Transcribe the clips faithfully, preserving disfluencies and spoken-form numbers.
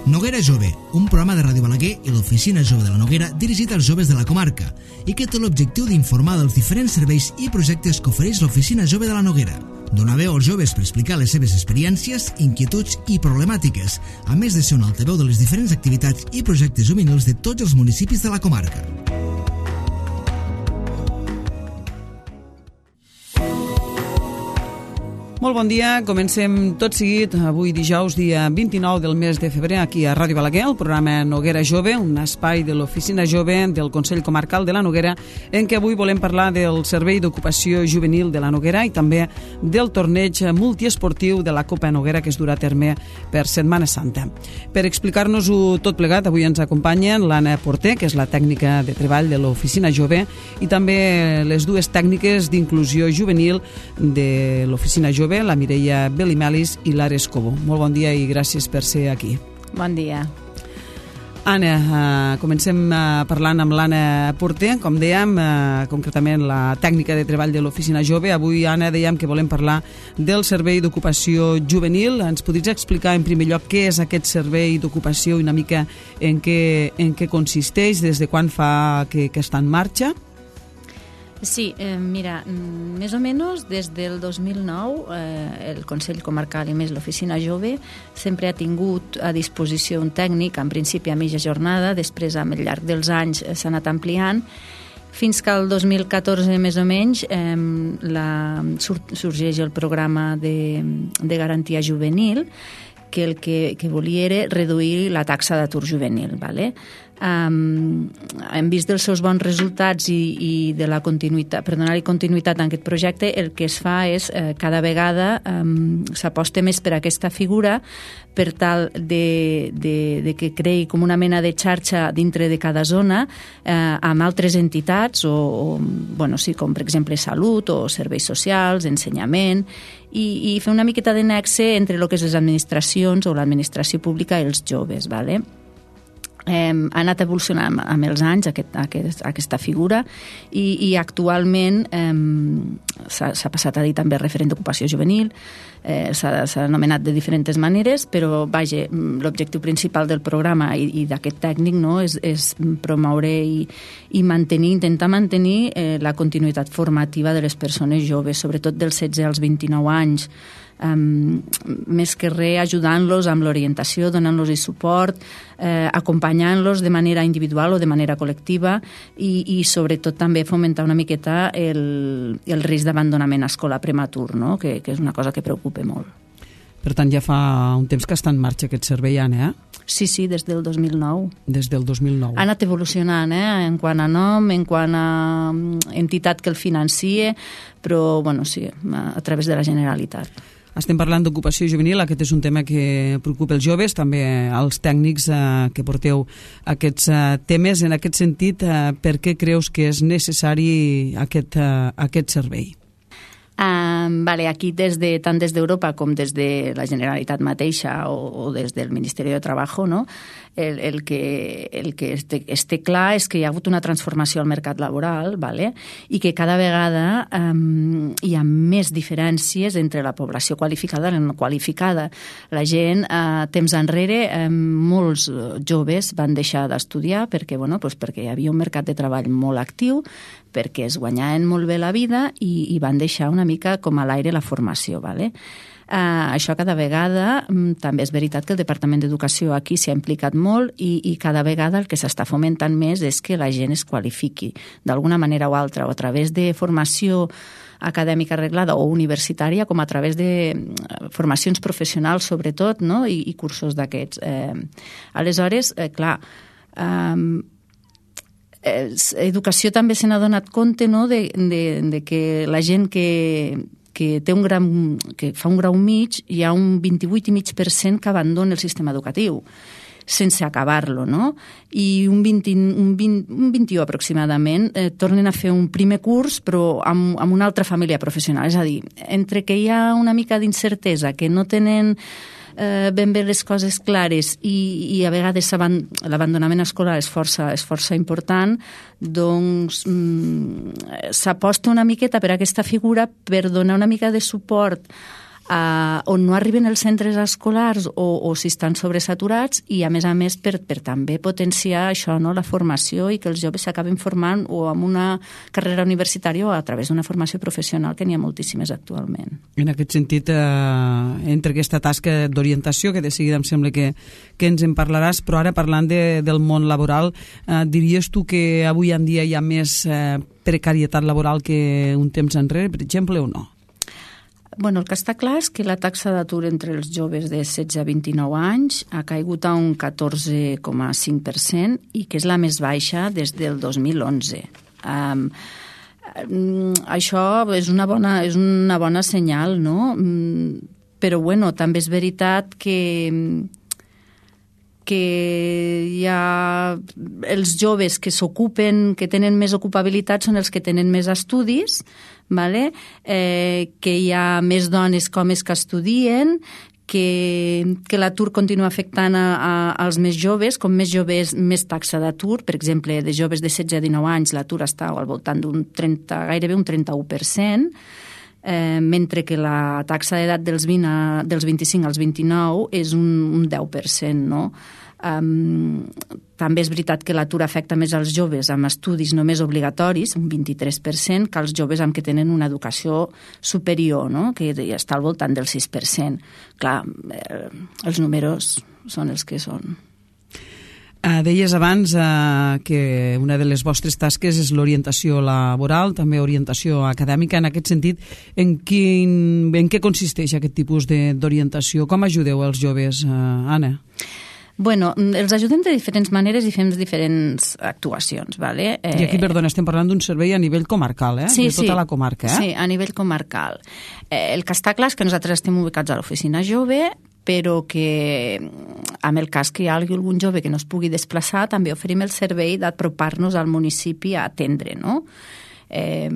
Noguera Jove, un programa de Ràdio Balaguer i l'Oficina Jove de la Noguera dirigit als joves de la comarca i que té l'objectiu d'informar dels diferents serveis i projectes que ofereix l'Oficina Jove de la Noguera. Donar veu als joves per explicar les seves experiències, inquietuds i problemàtiques, a més de ser un altaveu de les diferents activitats i projectes juvenils de tots els municipis de la comarca. Molt bon dia, comencem tot seguit avui dijous, dia vint-i-nou del mes de febrer, aquí a Ràdio Balaguer, el programa Noguera Jove, un espai de l'Oficina Jove del Consell Comarcal de la Noguera, en què avui volem parlar del Servei d'Ocupació Juvenil de la Noguera i també del torneig multiesportiu de la Copa Noguera que es durà a terme per Setmana Santa. Per explicar-nos-ho tot plegat, avui ens acompanyen l'Anna Porter, que és la tècnica de treball de l'Oficina Jove, i també les dues tècniques d'inclusió juvenil de l'Oficina Jove, la Mireia Belimelis i l'Ares Cobo. Molt bon dia i gràcies per ser aquí. Bon dia. Anna, uh, comencem uh, parlant amb l'Anna Porter, com dèiem, uh, concretament la tècnica de treball de l'Oficina Jove. Avui, Anna, dèiem que volem parlar del Servei d'Ocupació Juvenil. Ens podries explicar en primer lloc què és aquest servei d'ocupació i una mica en què, en què consisteix, des de quan fa que, que està en marxa? Sí, eh, mira, més o menys des del dos mil nou eh, el Consell Comarcal i més l'Oficina Jove sempre ha tingut a disposició un tècnic, en principi a mitja jornada, després al llarg dels anys s'ha anat ampliant, fins que el dos mil catorze més o menys eh, la, sur, sorgeix el programa de, de garantia juvenil, que el que, que volia era reduir la taxa d'atur juvenil, ¿vale? Um, hem vist dels seus bons resultats i, i de la continuïtat, per donar-li continuïtat a aquest projecte, el que es fa és eh, cada vegada um, s'aposta més per aquesta figura per tal de, de, de que creï com una mena de xarxa dintre de cada zona eh, amb altres entitats o, o bueno, sí, com per exemple salut o serveis socials, ensenyament i, i fer una miqueta de nexe entre el que és les administracions o l'administració pública i els joves, ¿vale? Eh, ha anat evolucionant amb els anys aquest, aquest, aquesta figura i, i actualment eh, s'ha passat a dir també referent d'ocupació juvenil, eh, s'ha anomenat de diferents maneres, però vaja, l'objectiu principal del programa i, i d'aquest tècnic, no, és, és promoure i, i mantenir, intentar mantenir eh, la continuïtat formativa de les persones joves, sobretot dels setze als vint-i-nou anys. Um, més que res ajudant-los amb l'orientació, donant-los suport, eh, acompanyant-los de manera individual o de manera col·lectiva i, i sobretot també fomentar una miqueta el, el risc d'abandonament escolar prematur, no? que, que és una cosa que preocupa molt. Per tant, ja fa un temps que està en marxa aquest servei, Anna, eh? Sí, sí, des del dos mil nou. Des del dos mil nou. Ha anat evolucionant, eh? En quant a nom, en quant a entitat que el financie, però, bueno, sí, a través de la Generalitat. Estem parlant d'ocupació juvenil, aquest és un tema que preocupa els joves, també als tècnics eh, que porteu aquests eh, temes. En aquest sentit, eh, per què creus que és necessari aquest, eh, aquest servei? Um, vale, aquí des de, tant des d'Europa com des de la Generalitat mateixa o, o des del Ministeri de Treball, no? el, el que, el que este, este clar és que hi ha hagut una transformació al mercat laboral, vale? I que cada vegada um, hi ha més diferències entre la població qualificada i la no qualificada. La gent, uh, temps enrere, um, molts joves van deixar d'estudiar perquè, bueno, pues perquè hi havia un mercat de treball molt actiu, perquè es guanyaven molt bé la vida i, i van deixar una mica com a l'aire la formació, ¿vale? Uh, això cada vegada, um, també és veritat que el Departament d'Educació aquí s'ha implicat molt i, i cada vegada el que s'està fomentant més és que la gent es qualifiqui d'alguna manera o altra, o a través de formació acadèmica arreglada o universitària, com a través de formacions professionals sobretot, no? I, i cursos d'aquests. Eh, aleshores, eh, clar, eh, educació també se n'ha donat compte, no? de, de, de que la gent que, que, té un gran, que fa un grau mig, hi ha un vint-i-vuit coma cinc per cent que abandona el sistema educatiu sense acabar-lo, no? I un vint, un vint, un vint-i-u aproximadament eh, tornen a fer un primer curs però amb, amb una altra família professional. És a dir, entre que hi ha una mica d'incertesa, que no tenen eh, ben bé les coses clares i, i a vegades l'abandonament escolar és força, és força important, doncs mm, s'aposta una miqueta per aquesta figura per donar una mica de suport Uh, on no arriben els centres escolars o, o si estan sobresaturats i, a més a més, per, per també potenciar això, no? La formació i que els joves s'acabin formant o amb una carrera universitària o a través d'una formació professional, que n'hi ha moltíssimes actualment. En aquest sentit, eh, entre aquesta tasca d'orientació, que de seguida em sembla que, que ens en parlaràs, però ara parlant de, del món laboral, eh, diries tu que avui en dia hi ha més eh, precarietat laboral que un temps enrere, per exemple, o no? Bueno, el que està clar és que la taxa d'atur entre els joves de setze a vint-i-nou anys ha caigut a un catorze coma cinc per cent i que és la més baixa des del dos mil onze. Um, això és una bona, és una bona senyal, no? Però, bueno, també és veritat que que hi ha els joves que s'ocupen, que tenen més ocupabilitat són els que tenen més estudis, vale? eh, que hi ha més dones com homes que estudien, que, que l'atur continua afectant a, a, als més joves, com més joves, més taxa d'atur. Per exemple, de joves de setze a dinou anys l'atur està al voltant d'un trenta, gairebé un trenta-u per cent, Eh, mentre que la taxa d'edat dels, vint a, dels vint-i-cinc als vint-i-nou és un, un deu per cent, no? Um, també és veritat que l'atur afecta més als joves amb estudis només obligatoris, un vint-i-tres per cent, que als joves amb que tenen una educació superior, no? Que està al voltant del sis per cent. Clar, eh, els números són els que són. Uh, deies abans uh, que una de les vostres tasques és l'orientació laboral, també orientació acadèmica. En aquest sentit, en, quin, en què consisteix aquest tipus d'orientació? Com ajudeu els joves, uh, Anna? Bueno, els ajudem de diferents maneres i fem diferents actuacions, ¿vale? Eh... I aquí, perdona, estem parlant d'un servei a nivell comarcal, eh? Sí, de tota sí. la comarca, eh? Sí, a nivell comarcal. Eh, el que està clar és que nosaltres estem ubicats a l'oficina jove, però que en el cas que hi hagi algun jove que no es pugui desplaçar, també oferim el servei d'apropar-nos al municipi a atendre, no? Eh,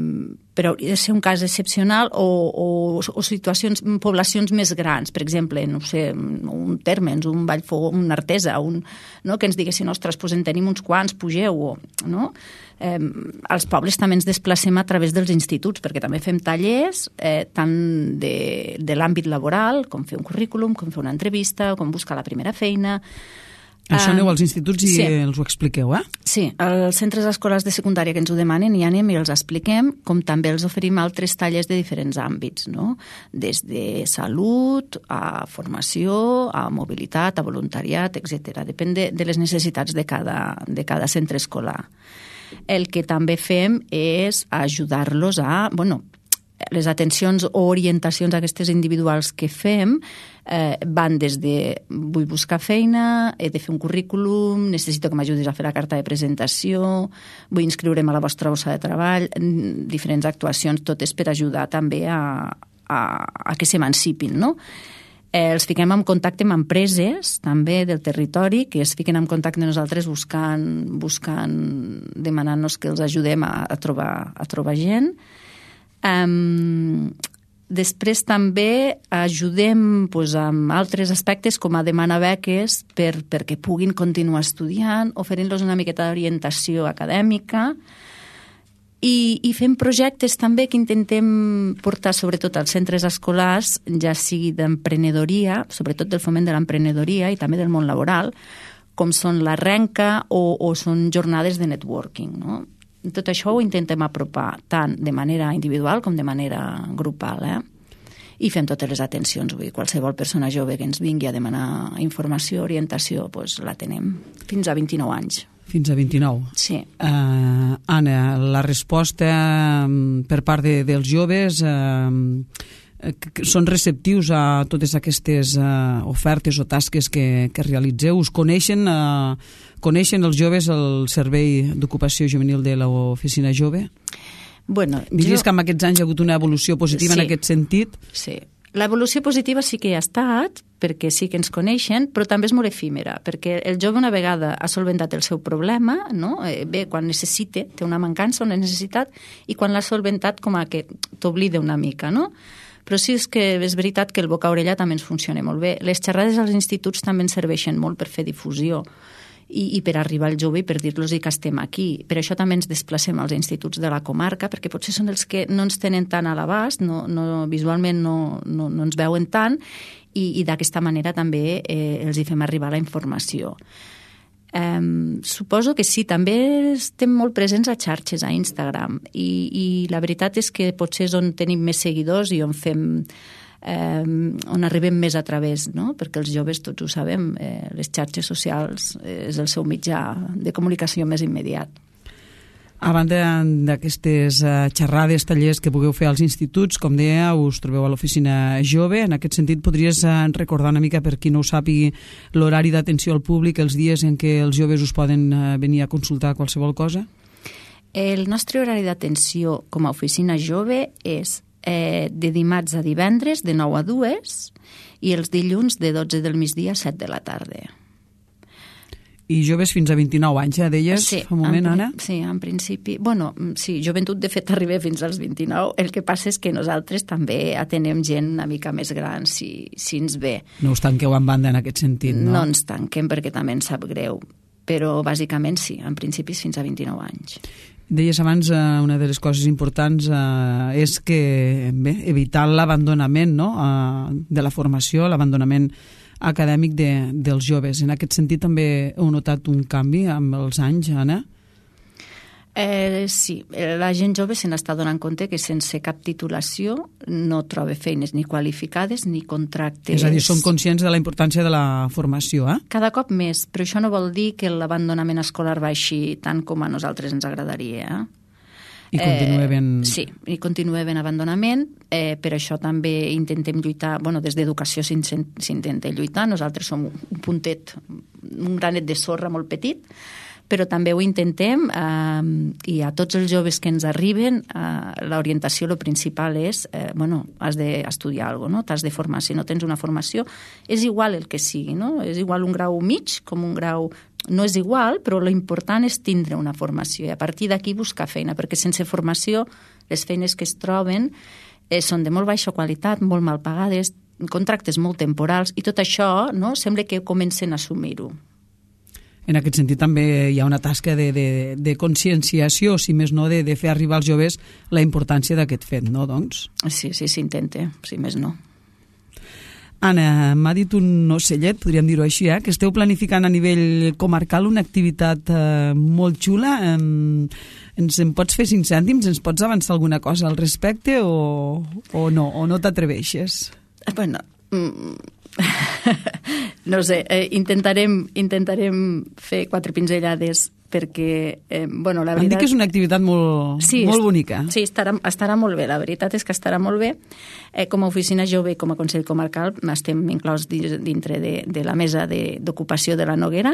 però hauria de ser un cas excepcional o, o, o situacions, poblacions més grans, per exemple, no sé, un Térmens, un Vallfogó, un Artesa, un, no? Que ens diguessin, ostres, doncs en tenim uns quants, pugeu, no? Eh, als pobles també ens desplacem a través dels instituts, perquè també fem tallers eh, tant de, de l'àmbit laboral, com fer un currículum, com fer una entrevista, com buscar la primera feina. Això aneu als instituts i sí. els ho expliqueu, eh? Sí, als centres escolars de secundària que ens ho demanen i anem i els expliquem, com també els oferim altres tallers de diferents àmbits, no? Des de salut, a formació, a mobilitat, a voluntariat, etcètera. Depèn de, de les necessitats de cada, de cada centre escolar. El que també fem és ajudar-los a... bueno, les atencions o orientacions aquestes individuals que fem eh, van des de vull buscar feina, he de fer un currículum, necessito que m'ajudis a fer la carta de presentació, vull inscriure'm a la vostra bossa de treball, diferents actuacions, totes per ajudar també a, a, a que s'emancipin, no? Eh, els fiquem en contacte amb empreses també del territori que es fiquen en contacte amb nosaltres buscant, buscant demanant-nos que els ajudem a, a, trobar, a trobar gent. Um, després també ajudem pues, amb altres aspectes com a demanar beques per, perquè puguin continuar estudiant, oferint-los una miqueta d'orientació acadèmica i, i fem projectes també que intentem portar sobretot als centres escolars, ja sigui d'emprenedoria, sobretot del foment de l'emprenedoria i també del món laboral, com són la renca o, o són jornades de networking, no? Tot això ho intentem apropar tant de manera individual com de manera grupal, eh? I fem totes les atencions. Vull dir, qualsevol persona jove que ens vingui a demanar informació, orientació, doncs la tenem fins a vint-i-nou anys. Fins a vint-i-nou. Sí. Uh, Anna, la resposta per part de, dels joves... Uh, són receptius a totes aquestes uh, ofertes o tasques que, que realitzeu? Us coneixen, uh, coneixen els joves el servei d'ocupació juvenil de l'oficina jove? Bueno, Diries jo... que en aquests anys hi ha hagut una evolució positiva sí. en aquest sentit? Sí. L'evolució positiva sí que hi ha estat, perquè sí que ens coneixen, però també és molt efímera, perquè el jove una vegada ha solventat el seu problema, no? eh, bé, quan necessite, té una mancança, una necessitat, i quan l'ha solventat com a que t'oblida una mica, no? Però sí és que és veritat que el boca a orella també ens funciona molt bé. Les xerrades als instituts també ens serveixen molt per fer difusió i, i per arribar al jove i per dir-los que estem aquí. Per això també ens desplacem als instituts de la comarca, perquè potser són els que no ens tenen tant a l'abast, no, no, visualment no, no, no ens veuen tant, i, i d'aquesta manera també eh, els hi fem arribar la informació. Um, suposo que sí, també estem molt presents a xarxes, a Instagram, i, i la veritat és que potser és on tenim més seguidors i on fem um, on arribem més a través, no? Perquè els joves, tots ho sabem, eh, les xarxes socials és el seu mitjà de comunicació més immediat. A banda d'aquestes uh, xerrades, tallers que pugueu fer als instituts, com deia, us trobeu a l'oficina jove. En aquest sentit, podries uh, recordar una mica, per qui no ho sàpigui, l'horari d'atenció al públic, els dies en què els joves us poden uh, venir a consultar qualsevol cosa? El nostre horari d'atenció com a oficina jove és eh, de dimarts a divendres de nou a dues i els dilluns de dotze del migdia a set de la tarda. I joves fins a vint-i-nou anys, ja deies sí, fa un moment, en, Anna? Sí, en principi... Bueno, sí, joventut de fet arriba fins als vint-i-nou. El que passa és que nosaltres també atenem gent una mica més gran, si, si ens ve. No us tanqueu en banda en aquest sentit, no? No ens tanquem perquè també ens sap greu, però bàsicament sí, en principi és fins a vint-i-nou anys. Deies abans, eh, una de les coses importants eh, és que, bé, evitar l'abandonament, no?, eh, de la formació, l'abandonament acadèmic de, dels joves. En aquest sentit també heu notat un canvi amb els anys, Anna? Eh, sí, la gent jove se n'està donant compte que sense cap titulació no troba feines ni qualificades ni contractes. És a dir, són conscients de la importància de la formació, eh? Cada cop més, però això no vol dir que l'abandonament escolar baixi tant com a nosaltres ens agradaria, eh? I continua ben... Eh, sí, i continua ben abandonament. Eh, per això també intentem lluitar, bueno, des d'educació s'intenta lluitar. Nosaltres som un puntet, un granet de sorra molt petit, però també ho intentem eh, i a tots els joves que ens arriben eh, l'orientació, el principal és eh, bueno, has d'estudiar alguna cosa, no? T'has de formar. Si no tens una formació, és igual el que sigui, no? És igual un grau mig com un grau... No és igual, però l'important és tindre una formació i a partir d'aquí buscar feina, perquè sense formació les feines que es troben eh, són de molt baixa qualitat, molt mal pagades, contractes molt temporals i tot això, no? Sembla que comencen a assumir-ho. En aquest sentit també hi ha una tasca de, de, de conscienciació, si més no, de, de fer arribar als joves la importància d'aquest fet, no, doncs? Sí, sí, s'intenta, si més no. Anna, m'ha dit un ocellet, podríem dir-ho així, eh, que esteu planificant a nivell comarcal una activitat eh, molt xula. Eh, ens en pots fer cinc cèntims? Ens pots avançar alguna cosa al respecte o, o no? O no t'atreveixes? Bueno... Mm... no sé, eh, intentarem, intentarem fer quatre pinzellades perquè, eh, bueno, la veritat... Em dic que és una activitat molt, sí, molt bonica. Sí, estarà, estarà molt bé, la veritat és que estarà molt bé. Eh, com a oficina jove i com a Consell Comarcal estem inclòs dintre de, de la mesa d'ocupació de, de la Noguera,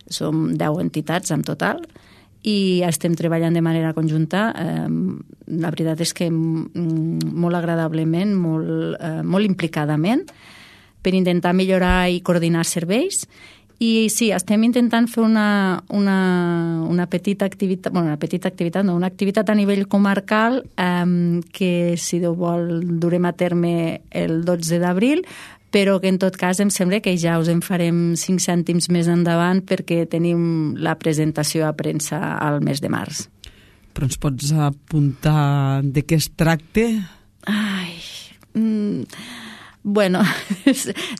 som deu entitats en total, i estem treballant de manera conjunta. Eh, la veritat és que molt agradablement, molt, eh, molt implicadament, per intentar millorar i coordinar serveis. I sí, estem intentant fer una, una, una petita activitat, bueno, una petita activitat, no, una activitat a nivell comarcal eh, que, si Déu vol, durem a terme el dotze d'abril, però que en tot cas em sembla que ja us en farem cinc cèntims més endavant perquè tenim la presentació a premsa al mes de març. Però ens pots apuntar de què es tracta? Ai... Mm, Bueno,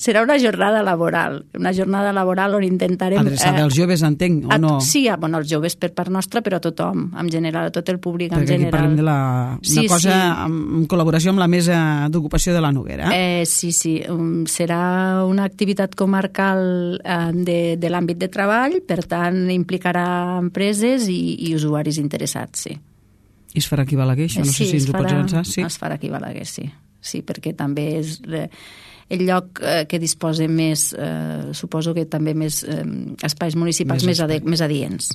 serà una jornada laboral, una jornada laboral on intentarem... Adreçada eh, als joves, entenc, o no? Sí, bueno, als joves per part nostra, però a tothom, en general, a tot el públic en Perquè general. Perquè aquí parlem de la, una sí, cosa sí. En, en col·laboració amb la Mesa d'Ocupació de la Noguera. Eh, sí, sí, um, serà una activitat comarcal eh, de, de l'àmbit de treball, per tant, implicarà empreses i, i usuaris interessats, sí. I es farà aquí a Balaguer, això? No sí, sé si ens ho farà, pots avançar. Sí, es farà aquí a Balaguer, sí. Sí, perquè també és el lloc que disposa més, eh, suposo que també més eh, espais municipals més, més, més adients.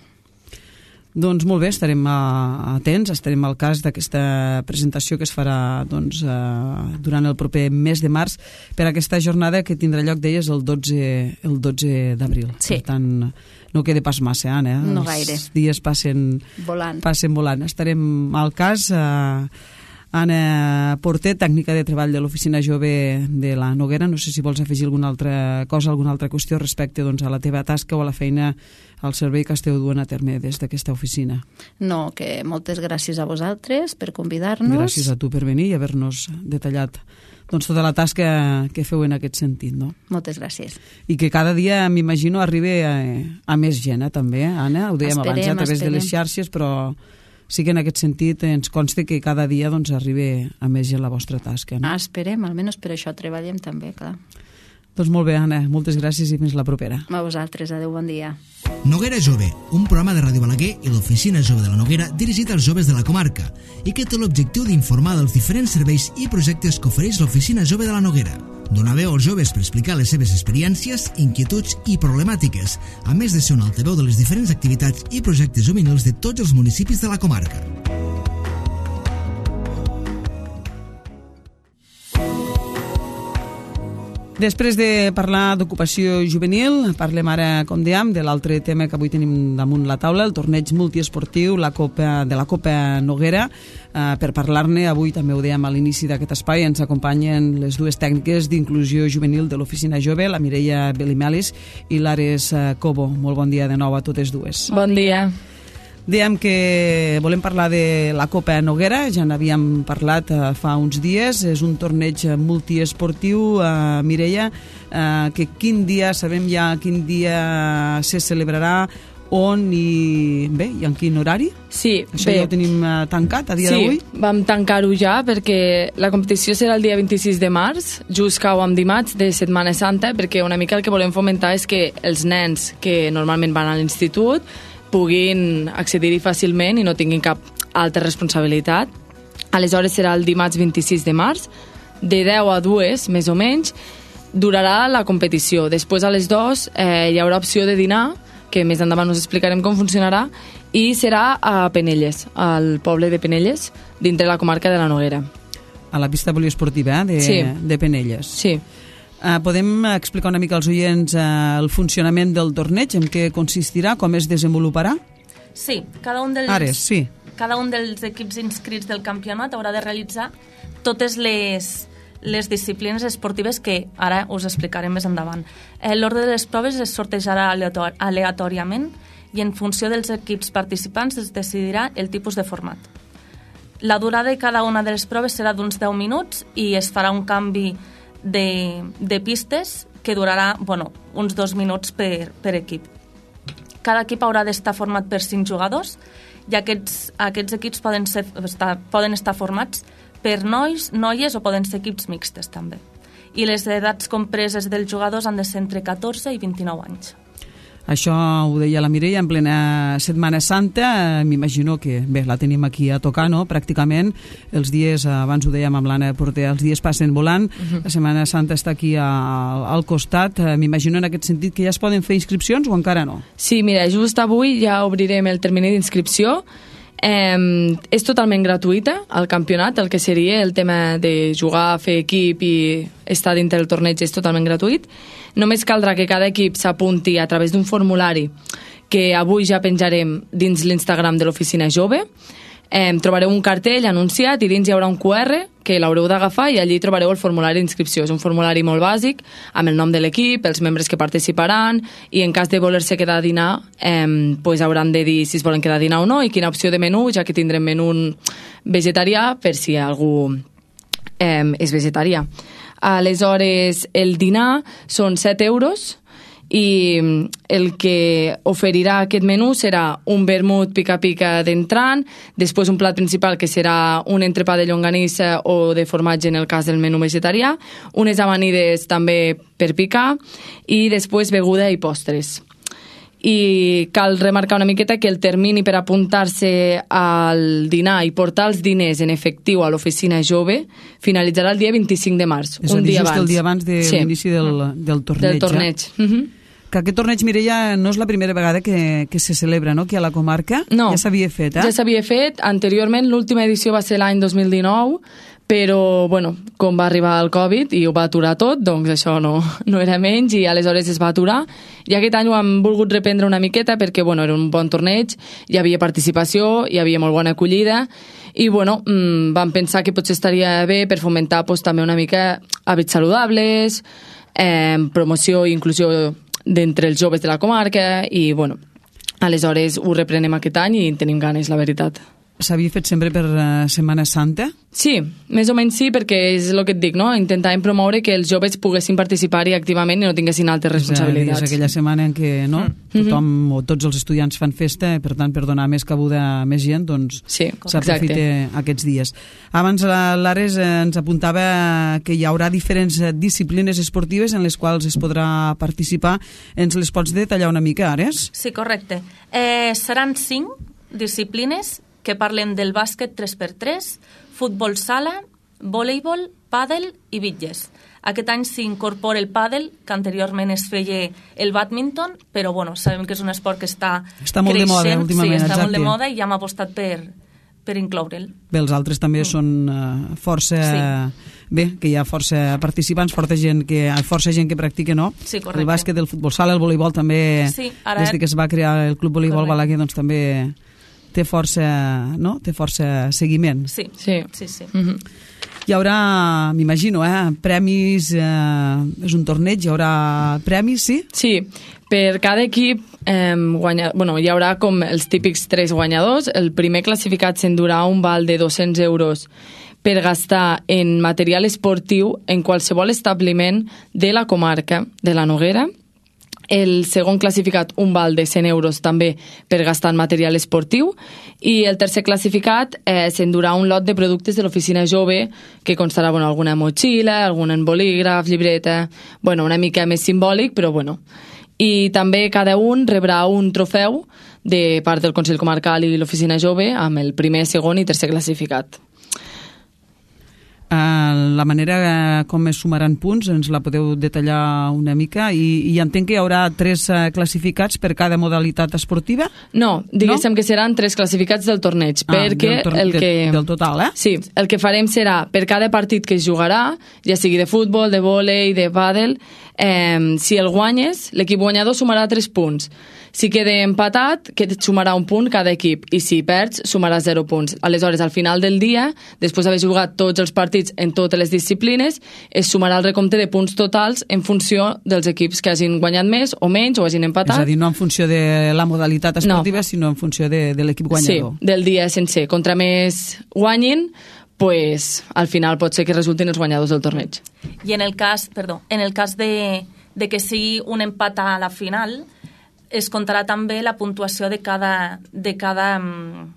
Doncs molt bé, estarem atents, estarem al cas d'aquesta presentació que es farà doncs, eh, durant el proper mes de març per aquesta jornada que tindrà lloc, deies, el dotze, el dotze d'abril. Sí. Per tant, no queda pas massa, Anna. Eh? No gaire. Els dies passen volant. passen volant. Estarem al cas... Eh, Anna Porter, tècnica de treball de l'Oficina Jove de la Noguera. No sé si vols afegir alguna altra cosa, alguna altra qüestió respecte doncs, a la teva tasca o a la feina, al servei que esteu duent a terme des d'aquesta oficina. No, que moltes gràcies a vosaltres per convidar-nos. Gràcies a tu per venir i haver-nos detallat doncs, tota la tasca que feu en aquest sentit, no? Moltes gràcies. I que cada dia, m'imagino, arribi a, a més gent, eh, també, eh, Anna? Ho dèiem esperem, abans, a través esperem. de les xarxes, però sí que en aquest sentit ens consta que cada dia doncs, arribi a més gent la vostra tasca. No? Ah, esperem, almenys per això treballem també, clar. Doncs molt bé, Anna, moltes gràcies i fins la propera. A vosaltres, adeu, bon dia. Noguera Jove, un programa de Ràdio Balaguer i l'Oficina Jove de la Noguera dirigit als joves de la comarca i que té l'objectiu d'informar dels diferents serveis i projectes que ofereix l'Oficina Jove de la Noguera. Donar veu als joves per explicar les seves experiències, inquietuds i problemàtiques, a més de ser un altaveu de les diferents activitats i projectes juvenils de tots els municipis de la comarca. Després de parlar d'ocupació juvenil, parlem ara, com dèiem, de l'altre tema que avui tenim damunt la taula, el torneig multiesportiu la Copa, de la Copa Noguera. Uh, per parlar-ne, avui també ho dèiem a l'inici d'aquest espai, ens acompanyen les dues tècniques d'inclusió juvenil de l'Oficina Jove, la Mireia Belimelis i l'Ares Cobo. Molt bon dia de nou a totes dues. Bon dia. Dèiem que volem parlar de la Copa Noguera, ja n'havíem parlat uh, fa uns dies, és un torneig multiesportiu, uh, Mireia, uh, que quin dia, sabem ja quin dia se celebrarà, on i, bé, i en quin horari? Sí, Això bé. ja ho tenim uh, tancat a dia sí, d'avui? Sí, vam tancar-ho ja perquè la competició serà el dia vint-i-sis de març, just cau amb dimarts de Setmana Santa, perquè una mica el que volem fomentar és que els nens que normalment van a l'institut puguin accedir-hi fàcilment i no tinguin cap altra responsabilitat. Aleshores serà el dimarts vint-i-sis de març, de deu a dues, més o menys, durarà la competició. Després a les dues eh, hi haurà opció de dinar, que més endavant us explicarem com funcionarà, i serà a Penelles, al poble de Penelles, dintre la comarca de la Noguera. A la pista poliesportiva eh, de, sí. de Penelles. Sí. Uh, podem explicar una mica als oients uh, el funcionament del torneig, en què consistirà, com es desenvoluparà? Sí, cada un dels, Ares, sí. cada un dels equips inscrits del campionat haurà de realitzar totes les, les disciplines esportives que ara us explicarem més endavant. Eh, L'ordre de les proves es sortejarà aleator aleatòriament i en funció dels equips participants es decidirà el tipus de format. La durada de cada una de les proves serà d'uns deu minuts i es farà un canvi De, de pistes que durarà bueno, uns dos minuts per, per equip. Cada equip haurà d'estar format per cinc jugadors i aquests, aquests equips poden, ser, estar, poden estar formats per nois, noies o poden ser equips mixtes també. I les edats compreses dels jugadors han de ser entre catorze i vint-i-nou anys. Això ho deia la Mireia en plena Setmana Santa, m'imagino que bé, la tenim aquí a tocar, no? Pràcticament els dies, abans ho dèiem amb l'Anna Porter, els dies passen volant, uh-huh. La Setmana Santa està aquí a, al costat, m'imagino en aquest sentit que ja es poden fer inscripcions o encara no? Sí, mira, just avui ja obrirem el termini d'inscripció. Eh, és totalment gratuïta el campionat, el que seria el tema de jugar, fer equip i estar dintre del torneig és totalment gratuït. Només caldrà que cada equip s'apunti a través d'un formulari que avui ja penjarem dins l'Instagram de l'Oficina Jove. Eh, trobareu un cartell anunciat i dins hi haurà un Q R que l'haureu d'agafar i allí trobareu el formulari d'inscripció. És un formulari molt bàsic amb el nom de l'equip, els membres que participaran i en cas de voler-se quedar a dinar eh, pues hauran de dir si es volen quedar a dinar o no i quina opció de menú, ja que tindrem menú vegetarià per si algú eh, és vegetarià. Aleshores, el dinar són set euros i el que oferirà aquest menú serà un vermut pica-pica d'entrant, després un plat principal que serà un entrepà de llonganissa o de formatge en el cas del menú vegetarià, unes amanides també per picar i després beguda i postres. I cal remarcar una miqueta que el termini per apuntar-se al dinar i portar els diners en efectiu a l'Oficina Jove finalitzarà el dia vint-i-cinc de març, és un dir, dia just abans. el dia abans de sí. l'inici del, del torneig. Del torneig. Ja. Uh-huh. Que aquest torneig, Mireia, no és la primera vegada que, que se celebra, no?, aquí a la comarca. No, ja s'havia fet, eh? Ja s'havia fet. Anteriorment, l'última edició va ser l'any dos mil dinou, però bueno, com va arribar el Covid i ho va aturar tot, doncs això no, no era menys i aleshores es va aturar i aquest any ho hem volgut reprendre una miqueta perquè bueno, era un bon torneig, hi havia participació, hi havia molt bona acollida i bueno, mmm, vam pensar que potser estaria bé per fomentar pues, també una mica hàbits saludables, eh, promoció i inclusió d'entre els joves de la comarca i bueno, aleshores ho reprenem aquest any i tenim ganes, la veritat. S'havia fet sempre per uh, Setmana Santa? Sí, més o menys sí, perquè és el que et dic, no? Intentàvem promoure que els joves poguessin participar-hi activament i no tinguessin altres responsabilitats. És aquella setmana en què no? Mm-hmm. tothom o tots els estudiants fan festa, per tant, per donar més cabuda a més gent, doncs sí, s'aprofita aquests dies. Abans l'Ares ens apuntava que hi haurà diferents disciplines esportives en les quals es podrà participar. Ens les pots detallar una mica, Ares? Sí, correcte. Eh, seran cinc disciplines que parlen del bàsquet tres per tres, futbol sala, voleibol, pàdel i bitlles. Aquest any s'incorpora el pàdel, que anteriorment es feia el badminton, però bueno, sabem que és un esport que està, està molt creixent, de moda últimament, sí, està exacte. molt de moda i ja hem apostat per, per incloure'l. Bé, els altres també mm. són uh, força... Sí. Bé, que hi ha força participants, força gent que, força gent que practica, no? Sí, correcte. El bàsquet, el futbol sala, el voleibol també, sí, ara... des que es va crear el Club Voleibol correcte. Balaguer, doncs també té força, no? Té força seguiment. Sí, sí, sí. sí. Mm-hmm. Hi haurà, m'imagino, eh, premis, eh, és un torneig, hi haurà premis, sí? Sí, per cada equip eh, guanya, bueno, hi haurà com els típics tres guanyadors. El primer classificat s'endurà un val de dos-cents euros per gastar en material esportiu en qualsevol establiment de la comarca de la Noguera. El segon classificat, un val de cent euros també per gastar en material esportiu, i el tercer classificat eh, s'endurà un lot de productes de l'oficina jove que constarà bueno, alguna motxilla, algun bolígraf, llibreta, bueno, una mica més simbòlic, però bueno. I també cada un rebrà un trofeu de part del Consell Comarcal i l'oficina jove amb el primer, segon i tercer classificat. Uh, la manera com es sumaran punts ens la podeu detallar una mica i, i entenc que hi haurà tres uh, classificats per cada modalitat esportiva? No, diguéssim no? que seran tres classificats del torneig, ah, perquè del, tor el que... de, del total, eh? Sí, el que farem serà per cada partit que es jugarà, ja sigui de futbol, de vòlei, de pàdel, eh, si el guanyes, l'equip guanyador sumarà tres punts. Si queda empatat, que et sumarà un punt cada equip, i si perds, sumarà zero punts. Aleshores, al final del dia, després d'haver jugat tots els partits en totes les disciplines, es sumarà el recompte de punts totals en funció dels equips que hagin guanyat més o menys o hagin empatat. És a dir, no en funció de la modalitat esportiva, no. sinó en funció de, de l'equip guanyador. Sí, del dia sencer. Contra més guanyin, pues, al final pot ser que resultin els guanyadors del torneig. I en el cas, perdó, en el cas de, de que sigui un empat a la final, es comptarà també la puntuació de cada, de cada um,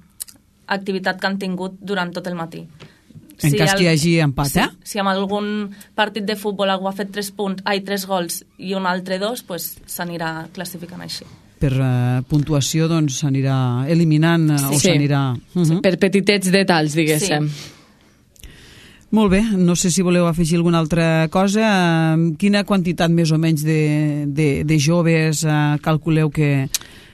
activitat que han tingut durant tot el matí. En si cas el, que hi hagi empat, sí, eh? Si amb algun partit de futbol algú ha fet tres punts, ai, tres gols i un altre dos, pues s'anirà classificant així. Per uh, puntuació, doncs, s'anirà eliminant uh, sí. o s'anirà... Uh -huh. sí, per petitets detalls, diguéssim. Sí. Molt bé, no sé si voleu afegir alguna altra cosa. Quina quantitat més o menys de, de, de joves uh, calculeu que,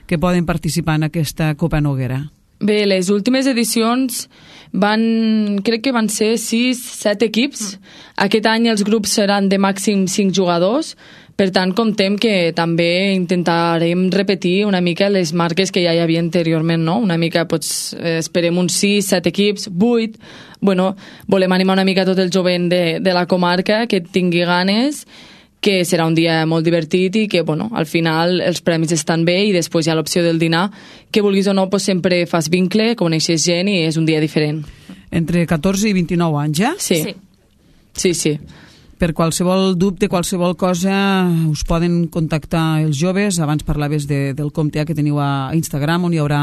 que poden participar en aquesta Copa Noguera? Bé, les últimes edicions van, crec que van ser sis, set equips. Aquest any els grups seran de màxim cinc jugadors, per tant comptem que també intentarem repetir una mica les marques que ja hi havia anteriorment, no? Una mica, doncs, esperem uns sis, set equips, vuit. Bueno, volem animar una mica tot el jovent de, de la comarca que tingui ganes, que serà un dia molt divertit i que, bueno, al final els premis estan bé i després hi ha l'opció del dinar, que vulguis o no, pues, sempre fas vincle, coneixes gent i és un dia diferent. Entre catorze i vint-i-nou anys, ja? Sí. Sí, sí. sí. Per qualsevol dubte, qualsevol cosa, us poden contactar els joves. Abans parlaves de, del compte que teniu a Instagram, on hi haurà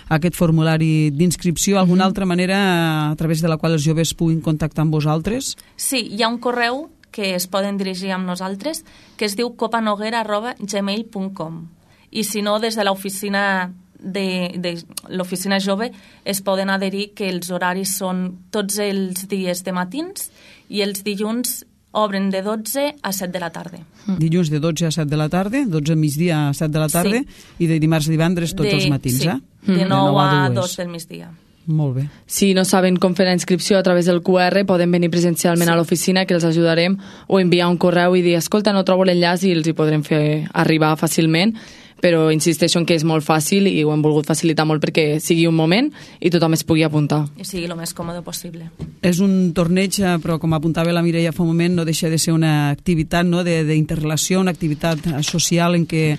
aquest formulari d'inscripció. Alguna mm-hmm. altra manera a través de la qual els joves puguin contactar amb vosaltres? Sí, hi ha un correu que es poden dirigir amb nosaltres, que es diu copanoguera arroba gmail punt com. I si no, des de l'oficina de, de l'oficina jove es poden adherir, que els horaris són tots els dies de matins i els dilluns obren de dotze a set de la tarda. Mm. Dilluns de dotze a set de la tarda, dotze a migdia a set de la tarda, sí. I de dimarts a divendres tots de, els matins, sí. eh? De nou a dos del migdia. Molt bé. Si no saben com fer la inscripció a través del Q R, poden venir presencialment sí. a l'oficina, que els ajudarem, o enviar un correu i dir, escolta, no trobo l'enllaç, i els hi podrem fer arribar fàcilment, però insisteixo en que és molt fàcil i ho hem volgut facilitar molt perquè sigui un moment i tothom es pugui apuntar. I sigui el més còmode possible. És un torneig, però com apuntava la Mireia fa un moment, no deixa de ser una activitat, no, d'interrelació, una activitat social en què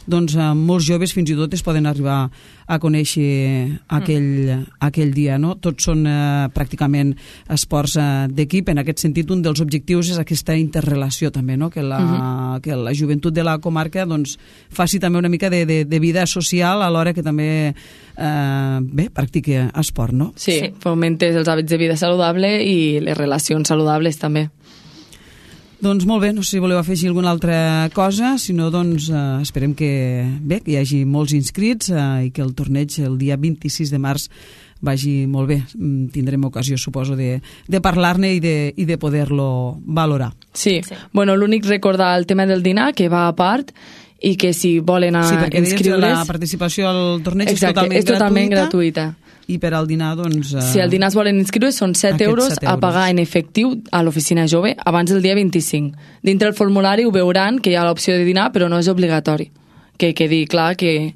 doncs, molts joves fins i tot es poden arribar a conèixer aquell, mm. aquell dia. No? Tots són eh, pràcticament esports eh, d'equip. En aquest sentit, un dels objectius és aquesta interrelació també, no? que, la, mm-hmm. que la joventut de la comarca doncs, faci també una mica de, de, de vida social alhora que també eh, bé, practiqui esport. No? Sí, sí, fomentes els hàbits de vida saludable i les relacions saludables també. Doncs molt bé, no sé si voleu afegir alguna altra cosa, si no, doncs eh, esperem que, bé, que hi hagi molts inscrits eh, i que el torneig el dia vint-i-sis de març vagi molt bé. Tindrem ocasió, suposo, de, de parlar-ne i de, i de poder-lo valorar. Sí, sí. Bueno, l'únic recordar el tema del dinar, que va a part, i que si volen a sí, perquè inscriure's... la participació al torneig Exacte, és totalment, és totalment gratuïta. gratuïta. I per al dinar, doncs... Uh, si al dinar es volen inscriure, són set euros, set euros a pagar en efectiu a l'oficina jove abans del dia vint-i-cinc. Dintre el formulari ho veuran que hi ha l'opció de dinar, però no és obligatori. Que quedi clar que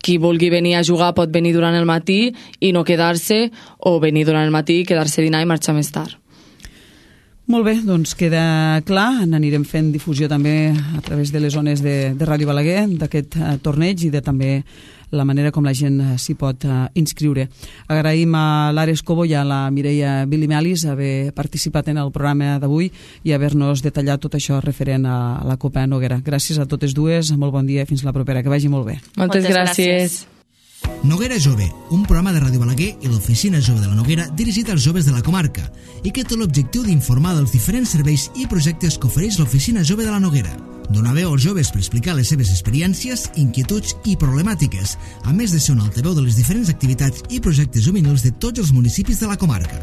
qui vulgui venir a jugar pot venir durant el matí i no quedar-se, o venir durant el matí, quedar-se a dinar i marxar més tard. Molt bé, doncs queda clar, n'anirem fent difusió també a través de les zones de, de Ràdio Balaguer d'aquest uh, torneig i de també la manera com la gent s'hi pot uh, inscriure. Agraïm a l'Ares Cobo i a la Mireia Bilimelis haver participat en el programa d'avui i haver-nos detallat tot això referent a la Copa Noguera. Gràcies a totes dues, molt bon dia i fins la propera, que vagi molt bé. Moltes, Moltes gràcies. gràcies. Noguera Jove, un programa de Ràdio Balaguer i l'Oficina Jove de la Noguera dirigit als joves de la comarca i que té l'objectiu d'informar dels diferents serveis i projectes que ofereix l'Oficina Jove de la Noguera. Donar veu als joves per explicar les seves experiències, inquietuds i problemàtiques, a més de ser un altaveu de les diferents activitats i projectes juvenils de tots els municipis de la comarca.